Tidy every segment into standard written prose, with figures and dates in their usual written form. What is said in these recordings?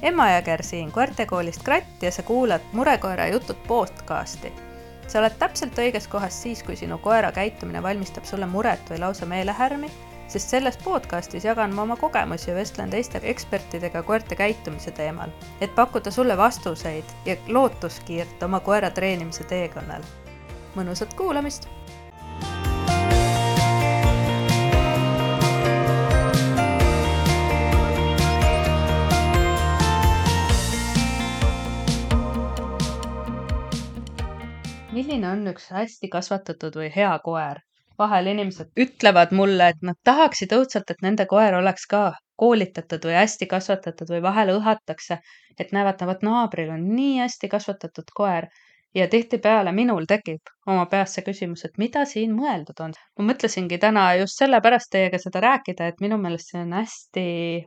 Emma Jõger siin koertekoolist Kratt ja sa kuulad Murekoera jutud podcasti. Sa oled täpselt õiges kohas siis, kui sinu koera käitumine valmistab sulle muret või lausa meelehärmi, sest selles podcastis jagan ma oma kogemusi ja vestlen teiste ekspertidega koerte käitumise teemal, et pakkuda sulle vastuseid ja lootuskiirt oma koera treenimise teekonnal. Mõnusat kuulamist! Milline on üks hästi kasvatatud või hea koer? Vahel inimesed ütlevad mulle, et nad tahaksid õudselt, et nende koer oleks ka koolitatud või hästi kasvatatud või vahel õhatakse, et näevad, naabril on nii hästi kasvatatud koer. Ja tihtipeale minul tekib oma peas see küsimus, et mida siin mõeldud on. Ma mõtlesingi täna just sellepärast teiega seda rääkida, et minu meelest see on hästi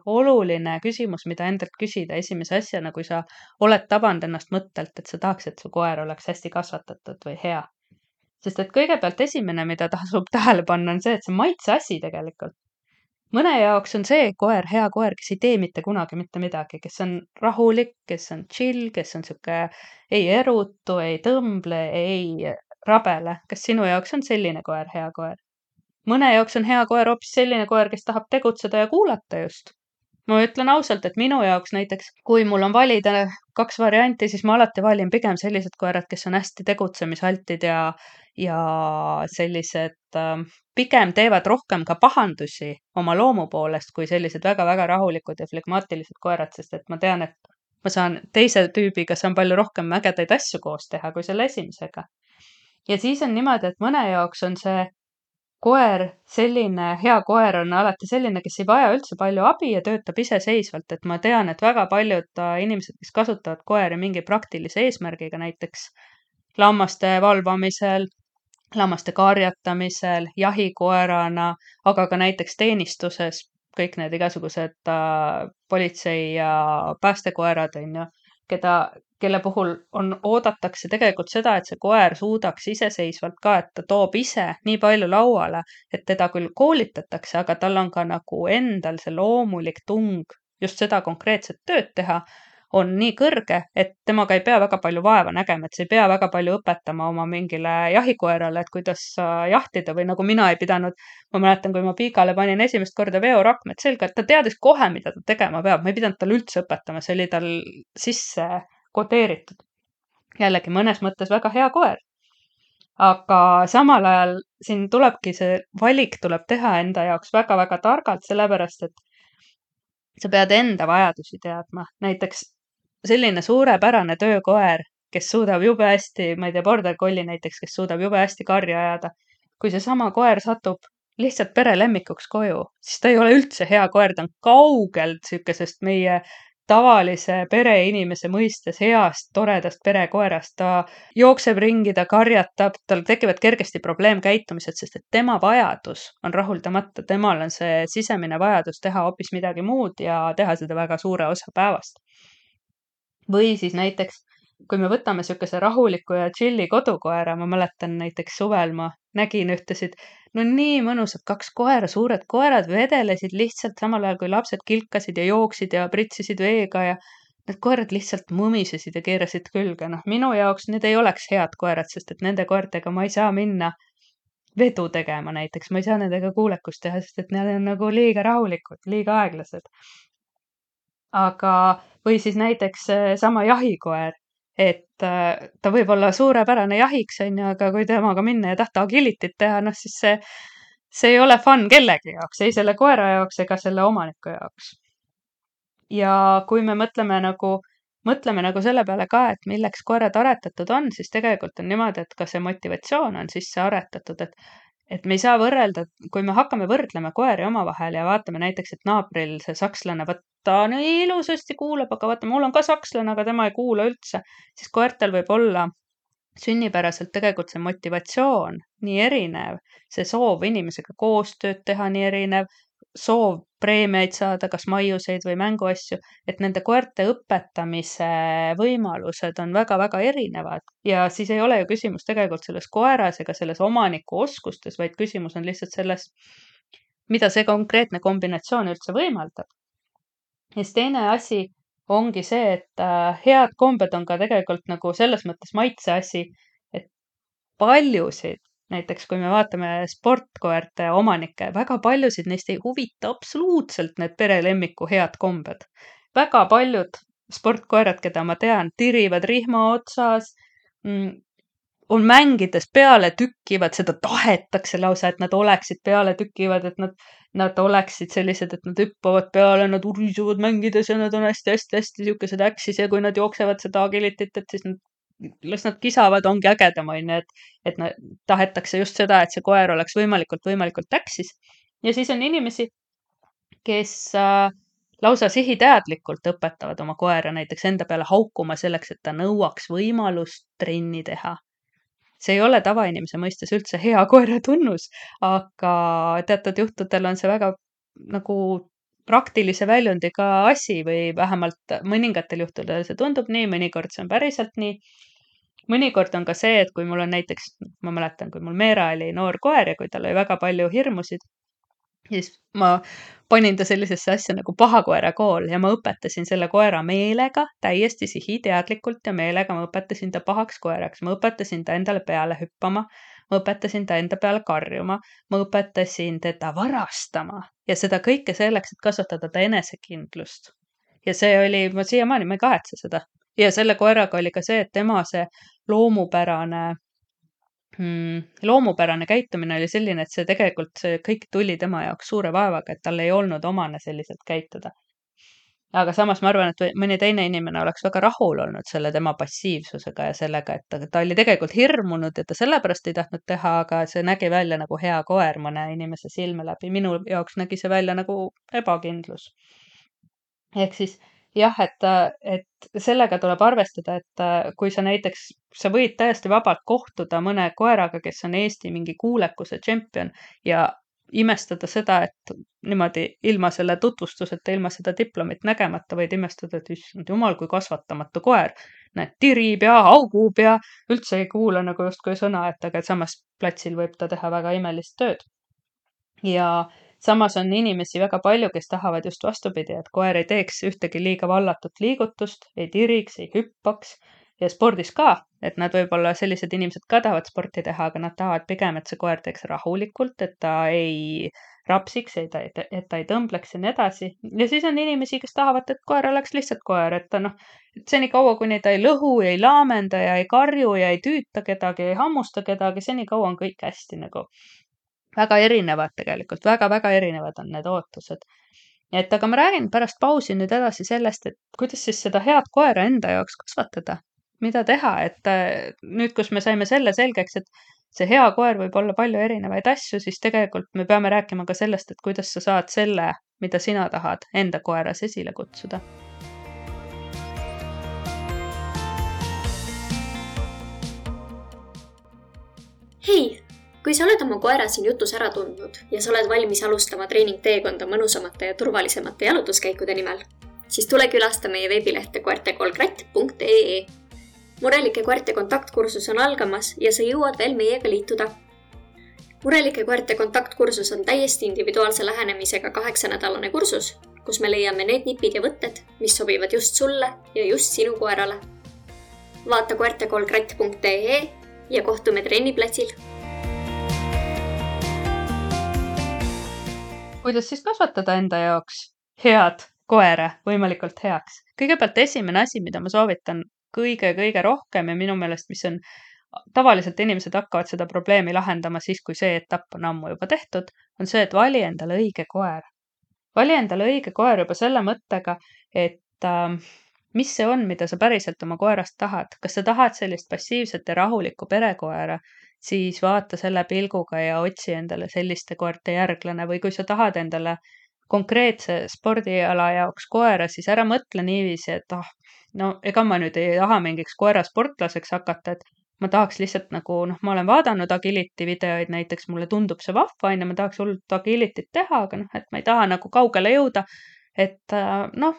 oluline küsimus, mida endalt küsida esimese asjana, kui sa oled tabanud ennast mõttelt, et sa tahaks, et su koer oleks hästi kasvatatud või hea. Sest et kõigepealt esimene, mida tasub tähele panna, on see, et see maitse asi tegelikult. Mõne jaoks on see koer, hea koer, kes ei tee mitte kunagi mitte midagi, kes on rahulik, kes on chill, kes on siuke ei erutu, ei tõmble, ei rabele. Kas sinu jaoks on selline koer hea koer? Mõne jaoks on hea koer hoopis selline koer, kes tahab tegutseda ja kuulata just. Ma ütlen ausalt, et minu jaoks näiteks, kui mul on valida 2 varianti, siis ma alati valin pigem sellised koerad, kes on hästi tegutsemishaltid ja sellised pigem teevad rohkem ka pahandusi oma loomu poolest, kui sellised väga-väga rahulikud ja flegmaatilised koerad, sest et ma tean, et ma saan teise tüübiga saan palju rohkem ägedaid asju koos teha kui selle esimesega. Ja siis on niimoodi, et mõne jaoks on see koer, selline hea koer on alati selline, kes ei vaja üldse palju abi ja töötab iseseisvalt, et ma tean, et väga paljud inimesed, kes kasutavad koeri mingi praktilise eesmärgiga, näiteks lammaste valvamisel, lammaste karjatamisel, jahikoerana, aga ka näiteks teenistuses, kõik need igasugused politsei ja päästekoerad, kelle puhul oodatakse tegelikult seda, et see koer suudaks iseseisvalt ka, et ta toob ise nii palju lauale, et teda küll koolitatakse, aga tal on ka nagu endal see loomulik tung just seda konkreetset tööd teha, on nii kõrge, et temaga ei pea väga palju vaeva nägema, et see ei pea väga palju õpetama oma mingile jahikoerale, et kuidas jahtida või nagu mina ei pidanud, ma mäletan, kui ma Piigale panin esimest korda veorakmed selga, et ta teadis kohe, mida ta tegema peab, ma ei pidanud tal üldse õpetama, see oli tal sisse kodeeritud. Jällegi mõnes mõttes väga hea koer. Aga samal ajal siin tulebki see valik tuleb teha enda jaoks väga-väga targalt, sellepärast, et sa pead enda vajadusi teadma. Näiteks selline suurepärane töökoer, kes suudab jube hästi, ma ei tea, border collie näiteks, kes suudab jube hästi karja ajada. Kui see sama koer satub lihtsalt perelemmikuks koju, siis ta ei ole üldse hea koer, ta on kaugelt sükesest meie tavalise pereinimese mõistes heast, toredast perekoerast. Ta jookseb ringi, ta karjatab, tal tekivad kergesti probleemkäitumised, sest et tema vajadus on rahuldamata. Temal on see sisemine vajadus teha hoopis midagi muud ja teha seda väga suure osa päevast. Või siis näiteks, kui me võtame sükese rahuliku ja chilli kodukoera, ma mäletan näiteks suvel ma nägin ühtesid, no nii mõnusad 2 koera, suured koerad vedelesid lihtsalt samal ajal, kui lapsed kilkasid ja jooksid ja pritsisid veega ja need koerad lihtsalt mumisesid ja keerasid külge. Minu jaoks need ei oleks head koerad, sest et nende koertega ma ei saa minna vedu tegema näiteks, ma ei saa nendega kuulekust teha, sest et need on nagu liiga rahulikud, liiga aeglased. Aga, või siis näiteks sama jahikoer, et ta võib olla suurepärane jahiks, aga kui temaga minna ja tahta agilitit teha, siis see ei ole fun kellegi jaoks, ei selle koera jaoks ega selle omaniku jaoks. Ja kui me mõtleme nagu selle peale ka, et milleks koerad aretatud on, siis tegelikult on niimoodi, et ka see motivatsioon on sisse aretatud, et me ei saa võrrelda, kui me hakkame võrdlema koeri omavahel ja vaatame näiteks, et naabril see sakslane, ta nii ilusasti kuulab, aga vaata, mul on ka sakslane, aga tema ei kuula üldse, siis koertel võib olla sünnipäraselt tegelikult see motivatsioon nii erinev, see soov inimesega koostööd teha nii erinev, soov preemiaid saada, kas maiuseid või mänguasju, et nende koerte õpetamise võimalused on väga-väga erinevad. Ja siis ei ole ju küsimus tegelikult selles koeras ega selles omaniku oskustes, vaid küsimus on lihtsalt selles, mida see konkreetne kombinatsioon üldse võimaldab. Ja siis teine asi, ongi see, et head kombed on ka tegelikult nagu selles mõttes maitse asi, et paljusid, näiteks kui me vaatame sportkoerte omanikke, väga paljusid neist ei huvita absoluutselt need perelemmiku head kombed. Väga paljud sportkoerad, keda ma tean, tirivad rihma otsas, on mängides peale tükkivad, seda tahetakse lausa, et nad oleksid peale tükkivad, et nad oleksid sellised, et nad hüppavad peale, nad urisuvad mängides ja nad on hästi-hästi-hästi siukesed äksis ja kui nad jooksevad seda agilitit, et siis las nad kisavad, ongi ägedam, onju, et tahetakse just seda, et see koer oleks võimalikult äksis. Ja siis on inimesi, kes lausa sihiteadlikult õpetavad oma koera näiteks enda peale haukuma selleks, et ta nõuaks võimalust trenni teha. See ei ole tavainimese mõistes üldse hea koera tunnus, aga teatud juhtudel on see väga nagu praktilise väljundiga asi või vähemalt mõningatel juhtudel see tundub nii, mõnikord see on päriselt nii. Mõnikord on ka see, et kui mul on näiteks, ma mäletan, kui mul Meera oli noor koer ja kui tal oli väga palju hirmusid, siis ma panin ta sellisesse asja nagu pahakoera kool ja ma õpetasin selle koera meelega, täiesti sihiteadlikult ja meelega ma õpetasin ta pahaks koeraks. Ma õpetasin ta endale peale hüppama, ma õpetasin ta enda peale karjuma, ma õpetasin teda varastama ja seda kõike selleks, et kasvatada ta enesekindlust. Ja see oli, ma siiamaani, ma ei kahetse seda. Ja selle koeraga oli ka see, et tema see loomupärane käitumine oli selline, et see tegelikult see kõik tuli tema jaoks suure vaevaga, et tal ei olnud omane selliselt käituda. Aga samas ma arvan, et mõni teine inimene oleks väga rahul olnud selle tema passiivsusega ja sellega, et ta oli tegelikult hirmunud ja ta sellepärast ei tahtnud teha, aga see nägi välja nagu hea koer mõne inimese silme läbi. Minu jaoks nägi see välja nagu ebakindlus. Ehk siis jah, et sellega tuleb arvestada, et kui sa näiteks, sa võid täiesti vabalt kohtuda mõne koeraga, kes on Eesti mingi kuulekuse tšempion ja imestada seda, et niimoodi ilma selle tutvustuseta, ilma seda diplomit nägemata võid imestada, et issand jumal, kui kasvatamatu koer. Näed, tirib ja haugub ja üldse ei kuule nagu justkui sõna, et aga samas platsil võib ta teha väga imelist tööd. Ja samas on inimesi väga palju, kes tahavad just vastupidi, et koer ei teeks ühtegi liiga vallatut liigutust, ei tiriks, ei hüppaks ja spordis ka, et nad võib-olla sellised inimesed ka tahavad sporti teha, aga nad tahavad pigem, et see koer teeks rahulikult, et ta ei rapsiks, et ta ei tõmbleks ja nii edasi. Ja siis on inimesi, kes tahavad, et koer oleks lihtsalt koer, et ta senikaua, kuni ta ei lõhu ja ei laamenda ja ei karju ja ei tüüta kedagi, ei hammusta kedagi, senikaua on kõik hästi nagu. Väga erinevad tegelikult, väga-väga erinevad on need ootused. Et aga ma räägin pärast pausi nüüd edasi sellest, et kuidas siis seda head koera enda jaoks kasvatada. Mida teha, et nüüd, kus me saime selle selgeks, et see hea koer võib olla palju erinevaid asju, siis tegelikult me peame rääkima ka sellest, et kuidas sa saad selle, mida sina tahad, enda koeras esile kutsuda. Hei! Kui sa oled oma koera siin jutus ära tundnud ja sa oled valmis alustama treeningteekonda mõnusamate ja turvalisemate jalutuskäikude nimel, siis tule külasta meie veebilehte koertekolkratt.ee. Murelike koerte kontaktkursus on algamas ja sa jõuad veel meiega liituda. Murelike koerte kontaktkursus on täiesti individuaalse lähenemisega 8-nädalane kursus, kus me leiame need nipid ja võtted, mis sobivad just sulle ja just sinu koerale. Vaata koertekolkratt.ee ja kohtume trenniplatsil. Kuidas siis kasvatada enda jaoks head koera võimalikult heaks? Kõigepealt esimene asi, mida ma soovitan kõige rohkem ja minu meelest, mis on tavaliselt inimesed hakkavad seda probleemi lahendama siis, kui see etapp on ammu juba tehtud, on see, et vali endale õige koer. Vali endale õige koer juba selle mõttega, et mis see on, mida sa päriselt oma koerast tahad. Kas sa tahad sellist passiivset ja rahulikku perekoera, siis vaata selle pilguga ja otsi endale selliste koerte järglane või kui sa tahad endale konkreetse spordiala jaoks koera, siis ära mõtle niiviisi, et ega ma nüüd ei taha mingiks koerasportlaseks hakata, et ma tahaks lihtsalt nagu, ma olen vaadanud agility videoid näiteks, mulle tundub see vahva, ja ma tahaks hullult agilityt teha, aga et ma ei taha nagu kaugele jõuda, et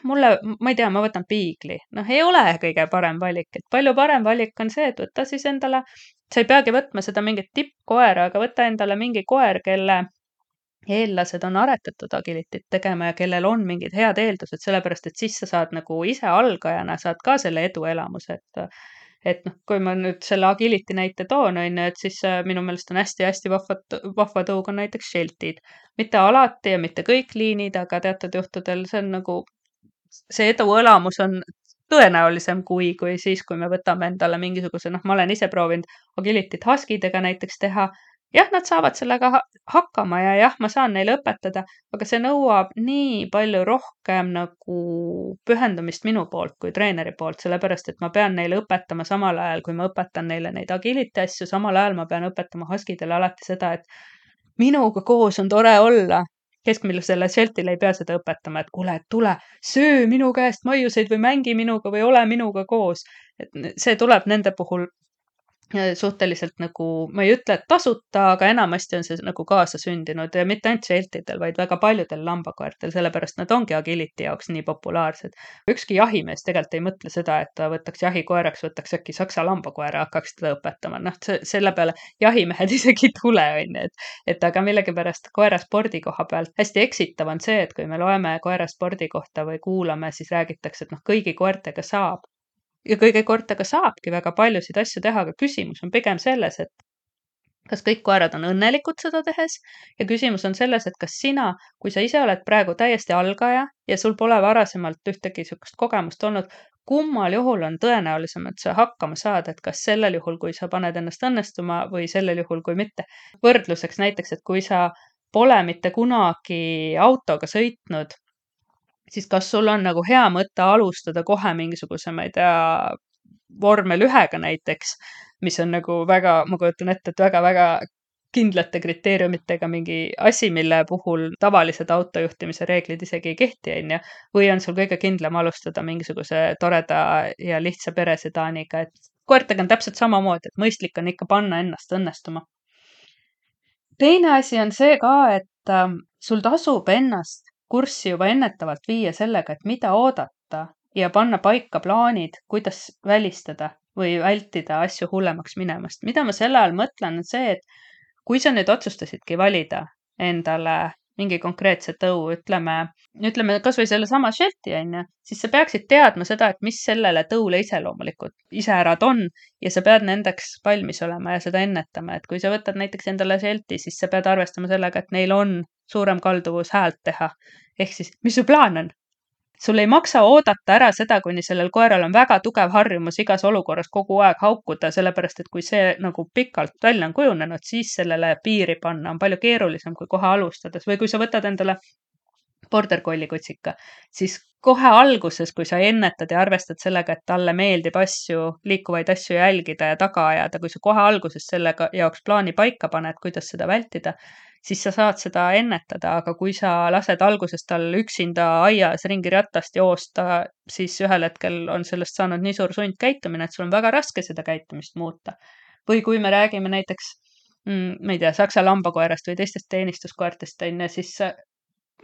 mulle, ma ei tea, ma võtan piigli. Ei ole kõige parem valik, et palju parem valik on see, et võtta siis endale, sa ei peagi võtma seda mingit tippkoera, aga võtta endale mingi koer, kelle eellased on aretatud agilitit tegema ja kellel on mingid head eeldused, sellepärast et siis sa saad nagu ise algajana saad ka selle eduelamuse, et noh, kui ma nüüd selle agility näite toon, on ju, et siis minu meelest on hästi-hästi vahva tõug on näiteks Sheltid. Mitte alati ja mitte kõik liinid, aga teatud juhtudel see on nagu, see eduelamus on tõenäolisem kui siis, kui me võtame endale mingisuguse, noh, ma olen ise proovinud agilityt Huskydega näiteks teha. Jah, nad saavad sellega hakkama ja jah, ma saan neile õpetada, aga see nõuab nii palju rohkem nagu pühendumist minu poolt kui treeneri poolt, sellepärast et ma pean neile õpetama samal ajal, kui ma õpetan neile neid agility asju, samal ajal ma pean õpetama Huskydele alati seda, et minuga koos on tore olla. Keskmisele Sheltile ei pea seda õpetama, et kuule, tule, söö minu käest maiuseid või mängi minuga või ole minuga koos. Et see tuleb nende puhul suhteliselt nagu, ma ei ütle, et tasuta, aga enamasti on see nagu kaasasündinud ja mitte ainult Sheltidel, vaid väga paljudel lambakoertel, sellepärast nad ongi agility jaoks nii populaarsed. Ükski jahimees tegelikult ei mõtle seda, et ta võtaks jahikoeraks, võtaks äkki saksa lambakoera, hakkaks teda õpetama. Noh, selle peale jahimehed isegi ei tule, on ju, et aga millegipärast koeraspordi koha pealt hästi eksitav on see, et kui me loeme koeraspordi kohta või kuulame, siis räägitakse, et noh, kõigi koertega saab. Ja kõige koertega saabki väga paljusid asju teha, aga küsimus on pigem selles, et kas kõik koerad on õnnelikud seda tehes ja küsimus on selles, et kas sina, kui sa ise oled praegu täiesti algaja ja sul pole varasemalt ühtegi sihukest kogemust olnud, kummal juhul on tõenäolisem, et sa hakkama saad, et kas sellel juhul, kui sa paned ennast õnnestuma või sellel juhul, kui mitte. Võrdluseks näiteks, et kui sa pole mitte kunagi autoga sõitnud, siis kas sul on nagu hea mõte alustada kohe mingisuguse, ma ei tea, vormel 1-ga näiteks, mis on nagu väga, ma kujutan ette, et väga-väga kindlate kriteeriumitega mingi asi, mille puhul tavalised autojuhtimise reeglid isegi ei kehti, on ju, või on sul kõige kindlam alustada mingisuguse toreda ja lihtsa peresedaaniga, et koertega on täpselt samamoodi, et mõistlik on ikka panna ennast õnnestuma. Teine asi on see ka, et sul tasub ennast kurssi juba ennetavalt viia sellega, et mida oodata ja panna paika plaanid, kuidas välistada või vältida asju hullemaks minemast. Mida ma selle all mõtlen, on see, et kui sa nüüd otsustasidki valida endale mingi konkreetse tõu, ütleme kas või selle sama Shelti, on ju, siis sa peaksid teadma seda, et mis sellele tõule iseloomulikud iseärad on ja sa pead nendeks valmis olema ja seda ennetama, et kui sa võtad näiteks endale Shelti, siis sa pead arvestama sellega, et neil on suurem kalduvus häält teha. Ehk siis, mis su plaan on? Sul ei maksa oodata ära seda, kuni sellel koeral on väga tugev harjumus igas olukorras kogu aeg haukuda, sellepärast et kui see nagu pikalt välja on kujunenud, siis sellele piiri panna on palju keerulisem kui kohe alustades. Või kui sa võtad endale border collie kutsika, siis kohe alguses, kui sa ennetad ja arvestad sellega, et talle meeldib liikuvaid asju jälgida ja taga ajada, kui sa kohe alguses sellega jaoks plaani paika paned, kuidas seda vältida, siis sa saad seda ennetada, aga kui sa lased alguses tal üksinda aias ringi rattast joosta, siis ühel hetkel on sellest saanud nii suur sundkäitumine, et sul on väga raske seda käitumist muuta. Või kui me räägime näiteks, ma ei tea, saksa lambakoerast või teistest teenistuskoertest, siis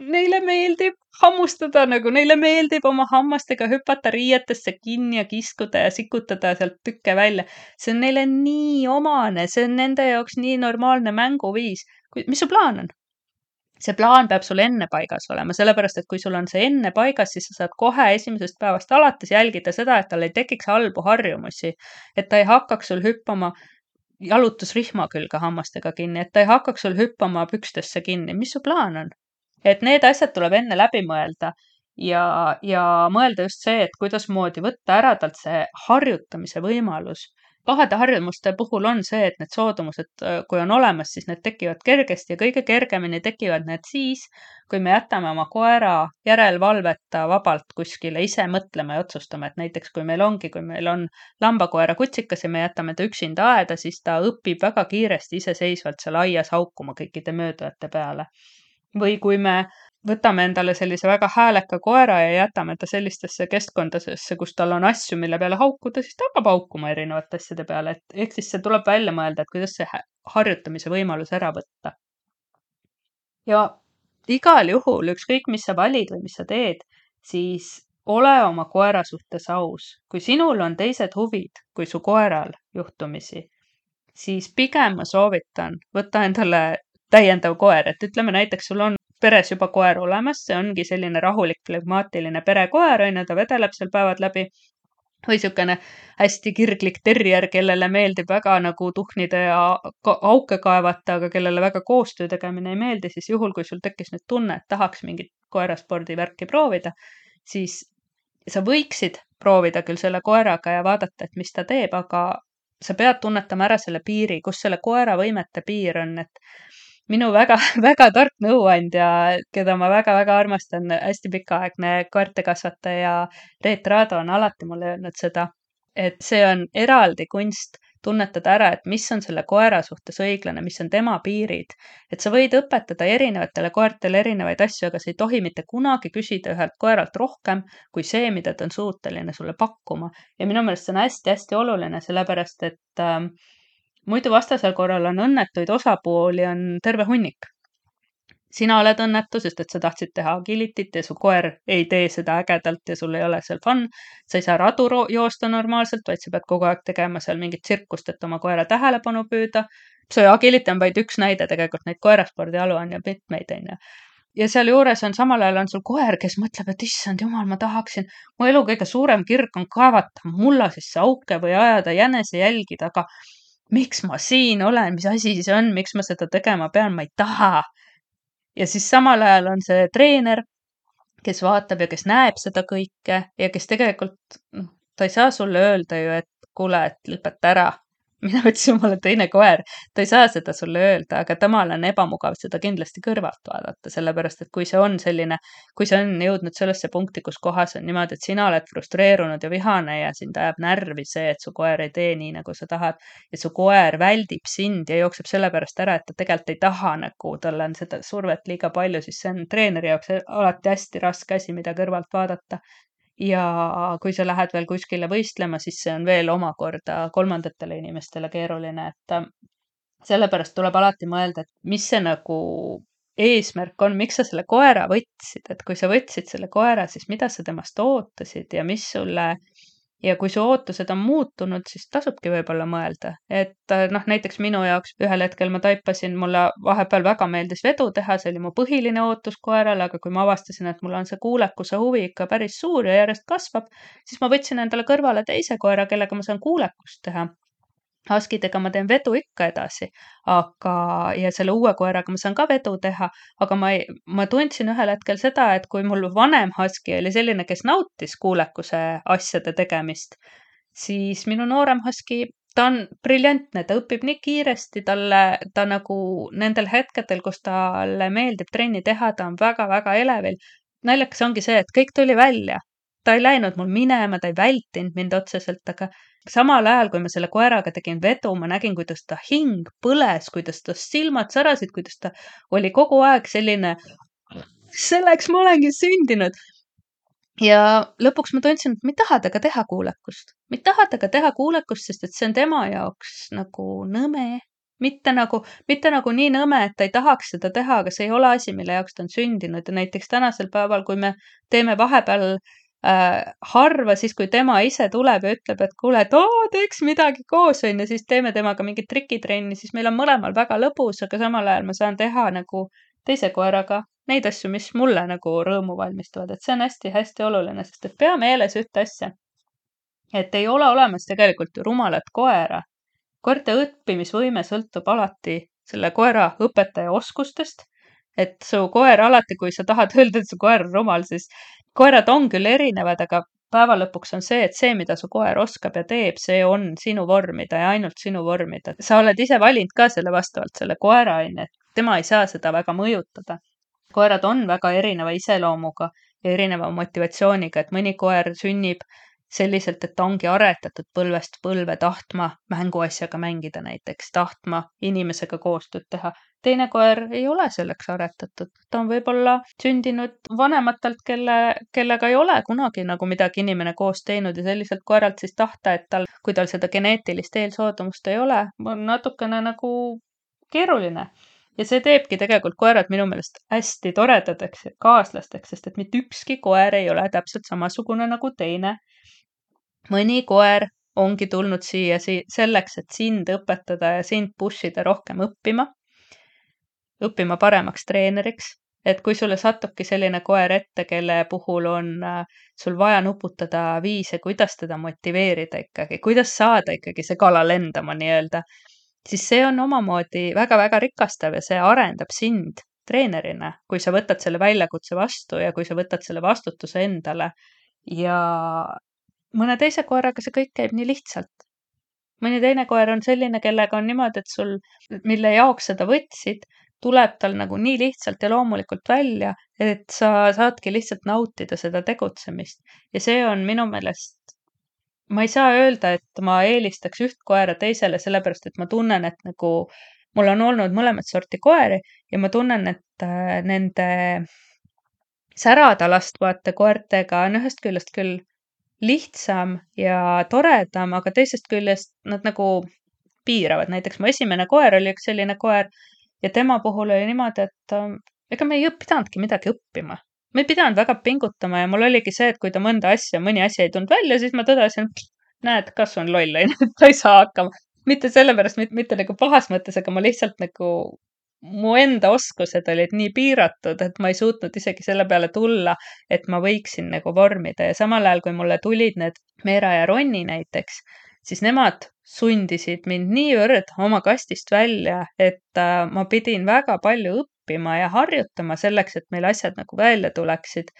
neile meeldib hammustada, nagu neile meeldib oma hammastega hüpata riietesse kinni ja kiskuda ja sikutada sealt tükke välja. See on neile nii omane, see on nende jaoks nii normaalne mänguviis. Mis su plaan on? See plaan peab sul enne paigas olema, sellepärast, et kui sul on see enne paigas, siis sa saad kohe esimesest päevast alates jälgida seda, et tal ei tekiks halbu harjumusi, et ta ei hakkaks sul hüppama jalutusrihma külge hammastega kinni, et ta ei hakkaks sul hüppama pükstesse kinni. Mis su plaan on? Et need asjad tuleb enne läbi mõelda ja mõelda just see, et kuidas moodi võtta ära talt see harjutamise võimalus. Pahade harjumuste puhul on see, et need soodumused, kui on olemas, siis need tekivad kergesti ja kõige kergemini tekivad need siis, kui me jätame oma koera järelvalveta vabalt kuskile ise mõtlema ja otsustama, et näiteks kui meil on lambakoera kutsikas ja me jätame ta üksinda aeda, siis ta õpib väga kiiresti iseseisvalt seal aias haukuma kõikide möödujate peale. Või kui me võtame endale sellise väga hääleka koera ja jätame ta sellistesse keskkondadesse, kus tal on asju, mille peale haukuda, siis ta hakkab haukuma erinevate asjade peale. Ehk siis see tuleb välja mõelda, et kuidas see harjutamise võimalus ära võtta. Ja igal juhul, ükskõik mis sa valid või mis sa teed, siis ole oma koera suhtes aus. Kui sinul on teised huvid kui su koeral juhtumisi, siis pigem ma soovitan võtta endale täiendav koer, et ütleme näiteks sul on peres juba koer olemas, see ongi selline rahulik, flegmaatiline perekoer, on ju, ta vedeleb seal päevad läbi. Või niisugune hästi kirglik terrier, kellele meeldib väga nagu tuhnida ja auke kaevata, aga kellele väga koostöö tegemine ei meeldi, siis juhul, kui sul tekkis nüüd tunne, et tahaks mingit koeraspordivärki proovida, siis sa võiksid proovida küll selle koeraga ja vaadata, et mis ta teeb, aga sa pead tunnetama ära selle piiri, kus selle koera võimete piir on, et minu väga, väga tark nõuandja, keda ma väga-väga armastan, hästi pikaaegne koertekasvataja Reet Raado on alati mulle öelnud seda, et see on eraldi kunst tunnetada ära, et mis on selle koera suhtes õiglane, mis on tema piirid. Et sa võid õpetada erinevatele koertele erinevaid asju, aga sa ei tohi mitte kunagi küsida ühelt koeralt rohkem kui see, mida ta on suuteline sulle pakkuma. Ja minu meelest see on hästi-hästi oluline, sellepärast et muidu vastasel korral on õnnetuid osapooli on terve hunnik. Sina oled õnnetu, sest et sa tahtsid teha agilitit ja su koer ei tee seda ägedalt ja sul ei ole seal fun. Sa ei saa radu joosta normaalselt, vaid sa pead kogu aeg tegema seal mingit tsirkust, et oma koera tähelepanu püüda. See agility on vaid üks näide, tegelikult neid koeraspordialu on ju mitmeid, on ju. Ja seal juures on samal ajal on sul koer, kes mõtleb, et issand jumal, ma tahaksin, mu elu kõige suurem kirg on kaevata mulla sisse auke või ajada jänese jälgida, aga miks ma siin olen, mis asi see on, miks ma seda tegema pean, ma ei taha. Ja siis samal ajal on see treener, kes vaatab ja kes näeb seda kõike ja kes tegelikult, ta ei saa sulle öelda ju, et kuule, et lõpeta ära. Mina ütlesin, mul on teine koer. Ta ei saa seda sulle öelda, aga temal on ebamugav seda kindlasti kõrvalt vaadata, sellepärast, et kui see on jõudnud sellesse punkti, kus kohas on niimoodi, et sina oled frustreerunud ja vihane ja sind ajab närvi see, et su koer ei tee nii, nagu sa tahad ja su koer väldib sind ja jookseb sellepärast ära, et ta tegelikult ei taha, nagu tal on seda survet liiga palju, siis see on treeneri jaoks alati hästi raske asi, mida kõrvalt vaadata. Ja kui sa lähed veel kuskile võistlema, siis see on veel omakorda kolmandatele inimestele keeruline, et sellepärast tuleb alati mõelda, et mis see nagu eesmärk on, miks sa selle koera võtsid, et kui sa võtsid selle koera, siis mida sa temast ootasid ja kui su ootused on muutunud, siis tasubki võib-olla mõelda, et näiteks minu jaoks ühel hetkel ma taipasin, mulle vahepeal väga meeldis vedu teha, see oli mu põhiline ootus koerale, aga kui ma avastasin, et mul on see kuulekuse huvi ikka päris suur ja järjest kasvab, siis ma võtsin endale kõrvale teise koera, kellega ma saan kuulekust teha. Huskidega ma teen vedu ikka edasi, ja selle uue koeraga ma saan ka vedu teha, aga ma tundsin ühel hetkel seda, et kui mul vanem Husky oli selline, kes nautis kuulekuse asjade tegemist, siis minu noorem Husky, ta on briljantne, ta õpib nii kiiresti, ta nagu nendel hetkedel, kus talle meeldib trenni teha, ta on väga-väga elevil. Naljakas ongi see, et kõik tuli välja. Ta ei läinud mul minema, ta ei vältinud mind otseselt, aga samal ajal, kui ma selle koeraga tegin vedu, ma nägin, kuidas ta hing põles, kuidas ta silmad särasid, kuidas ta oli kogu aeg selline, selleks ma olengi sündinud. Ja lõpuks ma tundsin, et ma ei taha temaga teha kuulekust. Ma ei taha temaga teha kuulekust, sest et see on tema jaoks nagu nõme. Mitte nagu nii nõme, et ta ei tahaks seda teha, aga see ei ole asi, mille jaoks ta on sündinud. Ja näiteks tänasel päeval, kui me teeme vahepeal harva siis, kui tema ise tuleb ja ütleb, et kuule, et teeks midagi koos, on ja siis teeme temaga mingit trikitrenni, siis meil on mõlemal väga lõbus, aga samal ajal ma saan teha nagu teise koeraga neid asju, mis mulle nagu rõõmu valmistavad, et see on hästi-hästi oluline, sest et pea meeles ühte asja, et ei ole olemas tegelikult ju rumalat koera. Koerte õppimisvõime sõltub alati selle koera õpetaja oskustest, et su koer alati, kui sa tahad öelda, et su koer on rumal, siis koerad on küll erinevad, aga päeva lõpuks on see, et see, mida su koer oskab ja teeb, see on sinu vormida ja ainult sinu vormida. Sa oled ise valinud ka selle vastavalt selle koera, et tema ei saa seda väga mõjutada. Koerad on väga erineva iseloomuga ja erineva motivatsiooniga, et mõni koer sünnib selliselt, et ta ongi aretatud põlvest põlve tahtma mänguasjaga mängida näiteks, tahtma inimesega koostööd teha. Teine koer ei ole selleks aretatud. Ta on võib-olla sündinud vanematelt, kellega ei ole kunagi nagu midagi inimene koos teinud ja selliselt koeralt siis tahta, et kui tal seda geneetilist eelsoodumust ei ole, on natukene nagu keeruline. Ja see teebki tegelikult koerad minu meelest hästi toredadeks ja kaaslasteks, sest et mitte ükski koer ei ole täpselt samasugune nagu teine. Mõni koer ongi tulnud siia selleks, et sind õpetada ja sind pushida rohkem õppima. õppima paremaks treeneriks, et kui sulle satubki selline koer ette, kelle puhul on sul vaja nuputada viise, kuidas teda motiveerida ikkagi, kuidas saada ikkagi see kala lendama nii-öelda, siis see on omamoodi väga-väga rikastav ja see arendab sind treenerina, kui sa võtad selle väljakutse vastu ja kui sa võtad selle vastutuse endale. Ja mõne teise koeraga see kõik käib nii lihtsalt. Mõni teine koer on selline, kellega on niimoodi, et sul, mille jaoks seda võtsid, tuleb tal nagu nii lihtsalt ja loomulikult välja, et sa saadki lihtsalt nautida seda tegutsemist. Ja see on minu meelest, ma ei saa öelda, et ma eelistaks üht koera teisele, sellepärast et ma tunnen, et nagu mul on olnud mõlemat sorti koeri ja ma tunnen, et nende särada lastvate koertega on ühest küljest küll lihtsam ja toredam, aga teisest küljest nad nagu piiravad. Näiteks mu esimene koer oli üks selline koer ja tema puhul oli niimoodi, et ega me ei pidanudki midagi õppima. Me ei pidanud väga pingutama ja mul oligi see, et kui ta mõni asi ei tulnud välja, siis ma tõdesin, näed, kas on loll, ta ei saa hakkama. Mitte sellepärast, mitte nagu pahas mõttes, aga ma lihtsalt nagu mu enda oskused olid nii piiratud, et ma ei suutnud isegi selle peale tulla, et ma võiksin nagu vormida ja samal ajal, kui mulle tulid need Meera ja Ronni näiteks, siis nemad sundisid mind niivõrd oma kastist välja, et ma pidin väga palju õppima ja harjutama selleks, et meil asjad nagu välja tuleksid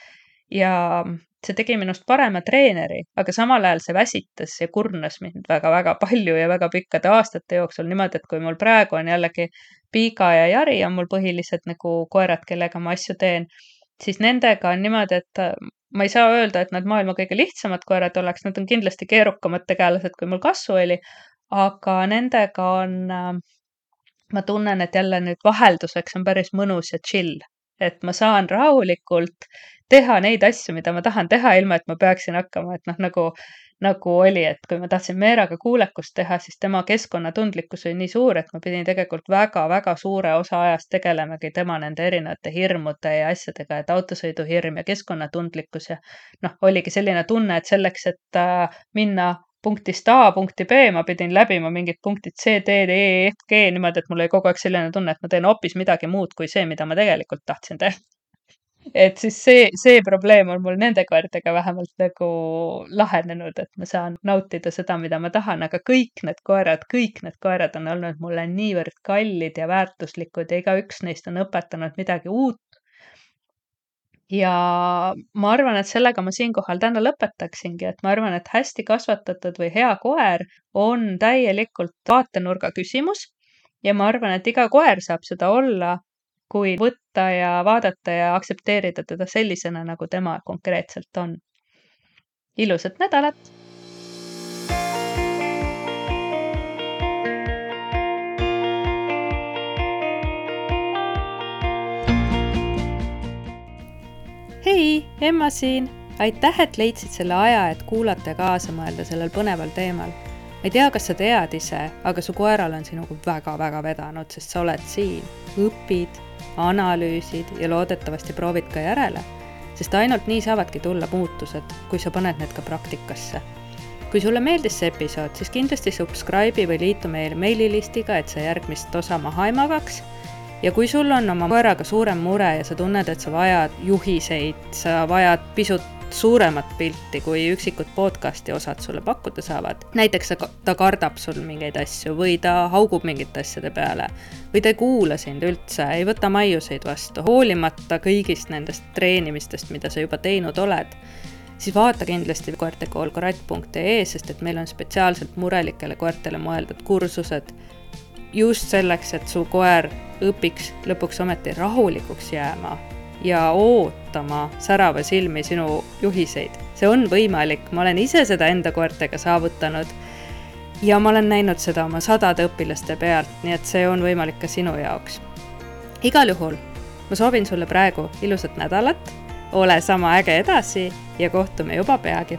ja see tegi minust parema treeneri, aga samal ajal see väsitas ja kurnas mind väga-väga palju ja väga pikkade aastate jooksul niimoodi, et kui mul praegu on jällegi Piiga ja Jari on mul põhilised nagu koerad, kellega ma asju teen, siis nendega on niimoodi, et ma ei saa öelda, et nad maailma kõige lihtsamad koerad oleks, nad on kindlasti keerukamad tegelased, kui mul kasvu oli, aga nendega on, ma tunnen, et jälle nüüd vahelduseks on päris mõnus ja chill, et ma saan rahulikult teha neid asju, mida ma tahan teha, ilma et ma peaksin hakkama, et nagu oli, et kui ma tahtsin Meeraga kuulekust teha, siis tema keskkonnatundlikkus oli nii suur, et ma pidin tegelikult väga-väga suure osa ajast tegelemegi tema nende erinevate hirmude ja asjadega, et autosõiduhirm ja keskkonnatundlikkus ja oligi selline tunne, et selleks, et minna punktist A punkti B, ma pidin läbima mingid punktid C, D, E, F, G niimoodi, et mul oli kogu aeg selline tunne, et ma teen hoopis midagi muud kui see, mida ma tegelikult tahtsin teha. Et siis see probleem on mul nende koertega vähemalt nagu lahenenud, et ma saan nautida seda, mida ma tahan, aga kõik need koerad on olnud mulle niivõrd kallid ja väärtuslikud ja igaüks neist on õpetanud midagi uut. Ja ma arvan, et sellega ma siinkohal täna lõpetaksingi, et ma arvan, et hästi kasvatatud või hea koer on täielikult vaatenurga küsimus ja ma arvan, et iga koer saab seda olla, kui võtta ja vaadata ja aktsepteerida teda sellisena, nagu tema konkreetselt on. Ilusat nädalat! Hei, Emma siin! Aitäh, et leidsid selle aja, et kuulata ja kaasa mõelda sellel põneval teemal. Ma ei tea, kas sa tead ise, aga su koeral on sinuga väga-väga vedanud, sest sa oled siin, õpid, analüüsid ja loodetavasti proovid ka järele, sest ainult nii saavadki tulla muutused, kui sa paned need ka praktikasse. Kui sulle meeldis see episood, siis kindlasti subscribe'i või liitu meil meililistiga, et sa järgmist osa maha ei magaks. Ja kui sul on oma koeraga suurem mure ja sa tunned, et sa vajad juhiseid, sa vajad pisut suuremat pilti, kui üksikud podcasti osad sulle pakkuda saavad. Näiteks ta kardab sul mingeid asju või ta haugub mingite asjade peale või ta ei kuula sind üldse, ei võta maiuseid vastu, hoolimata kõigist nendest treenimistest, mida sa juba teinud oled, siis vaata kindlasti koertekoolkorat.ee, sest et meil on spetsiaalselt murelikele koertele mõeldud kursused just selleks, et su koer õpiks lõpuks ometi rahulikuks jääma ja ootama särava silmi sinu juhiseid. See on võimalik, ma olen ise seda enda koertega saavutanud ja ma olen näinud seda oma 100 õpilaste pealt, nii et see on võimalik ka sinu jaoks. Igal juhul, ma soovin sulle praegu ilusat nädalat, ole sama äge edasi ja kohtume juba peagi.